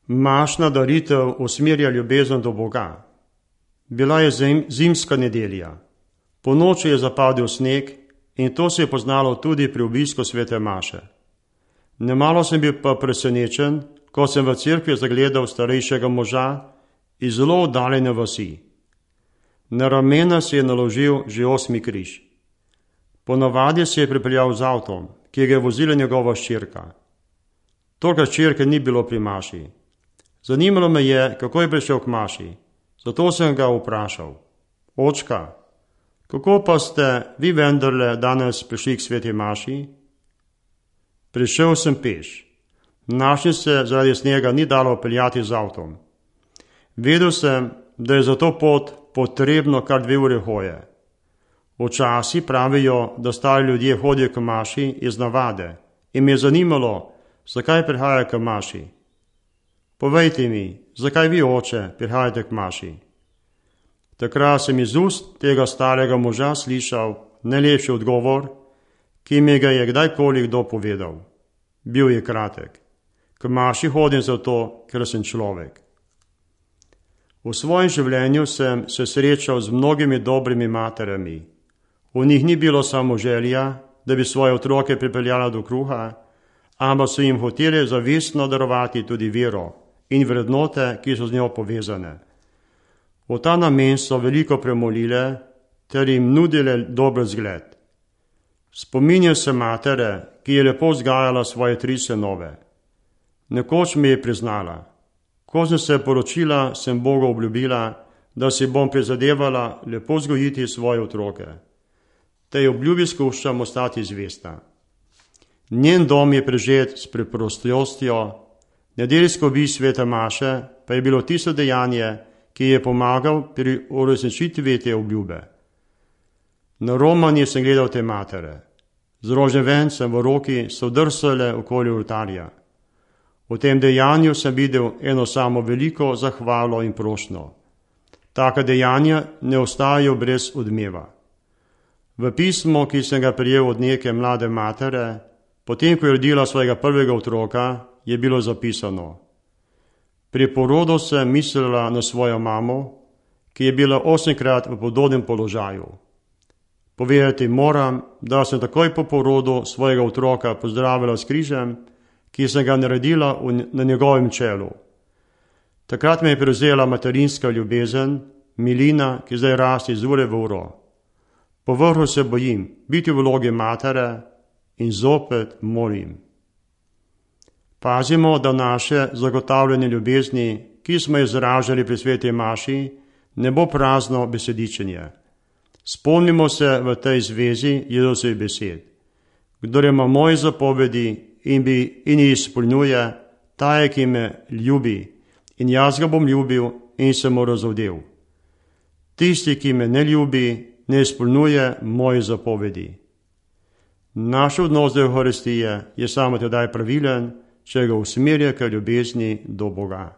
Mašna daritev usmerja ljubezen do Boga. Bila je zimska nedelja. Ponoči je zapadel sneg in to se je poznalo tudi pri obisku svete maše. Nemalo sem bil pa presenečen, ko sem v cerkvi zagledal starejšega moža iz zelo oddaljene vasi. Na ramena si je naložil že 8. križ. Ponavadi se je pripeljal z avtom, ki ga je vozila njegova hčerka. Toga hčerke ni bilo pri maši. Zanimalo me je, kako je prišel k maši, zato sem ga vprašal: Očka, kako pa ste vi vendarle danes prišli k sveti maši? Prišel sem peš. Našim se zaradi snega ni dalo peljati z avtom. Vedel sem, da je za to pot potrebno kar 2 ure hoje. Včasih pravijo, da stari ljudje hodijo k maši iz navade in me je zanimalo, zakaj prihajajo k maši. Povejte mi, zakaj vi, oče, prihajate k maši? Takrat sem iz ust tega starega moža slišal najlepši odgovor, ki mi ga je kdajkoli kdo povedal. Bil je kratek: k maši hodim zato, ker sem človek. V svojem življenju sem se srečal z mnogimi dobrimi materami. V njih ni bilo samo želja, da bi svoje otroke pripeljala do kruha, ampak so jim hoteli zavestno darovati tudi vero in vrednote, ki so z njo povezane. V ta namen so veliko premolile ter jim nudile dober zgled. Spominjam se matere, ki je lepo vzgajala svoje 3 sinove. Nekoč mi je priznala: ko sem se poročila, sem Bogu obljubila, da si bom prizadevala lepo vzgojiti svoje otroke. Tej obljubi skušam ostati zvesta. Njen dom je prežet s preprostostjo, nedeljsko obisk svete maše pa je bilo tisto dejanje, ki je pomagal pri uresničitvi te obljube. Na romanje sem gledal te matere. Z rožnim vencem v roki so drsale okoli oltarja. V tem dejanju sem videl eno samo veliko zahvalo in prošnjo. Taka dejanja ne ostajajo brez odmeva. V pismu, ki sem ga prejel od neke mlade matere, potem ko je rodila svojega prvega otroka, je bilo zapisano: pri porodu sem mislila na svojo mamo, ki je bila 8-krat v podobnem položaju. Povedati moram, da sem takoj po porodu svojega otroka pozdravila s križem, ki sem ga naredila na njegovem čelu. Takrat me je prevzela materinska ljubezen, milina, ki zdaj raste iz ure v uro. Povrhu se bojim biti v vlogi matere in zopet molim. Pazimo, da naše zagotavljanje ljubezni, ki smo izražali pri sveti maši, ne bo prazno besedičenje. Spomnimo se v tej zvezi Jezusovih besed: kdor ima moje zapovedi in jih izpolnjuje, ta je, ki me ljubi, in jaz ga bom ljubil in se mu razodel. Tisti, ki me ne ljubi, ne izpolnjuje moje zapovedi. Naš odnos do Evharistije je samo tedaj pravilen, če ga usmerja k ljubezni do Boga.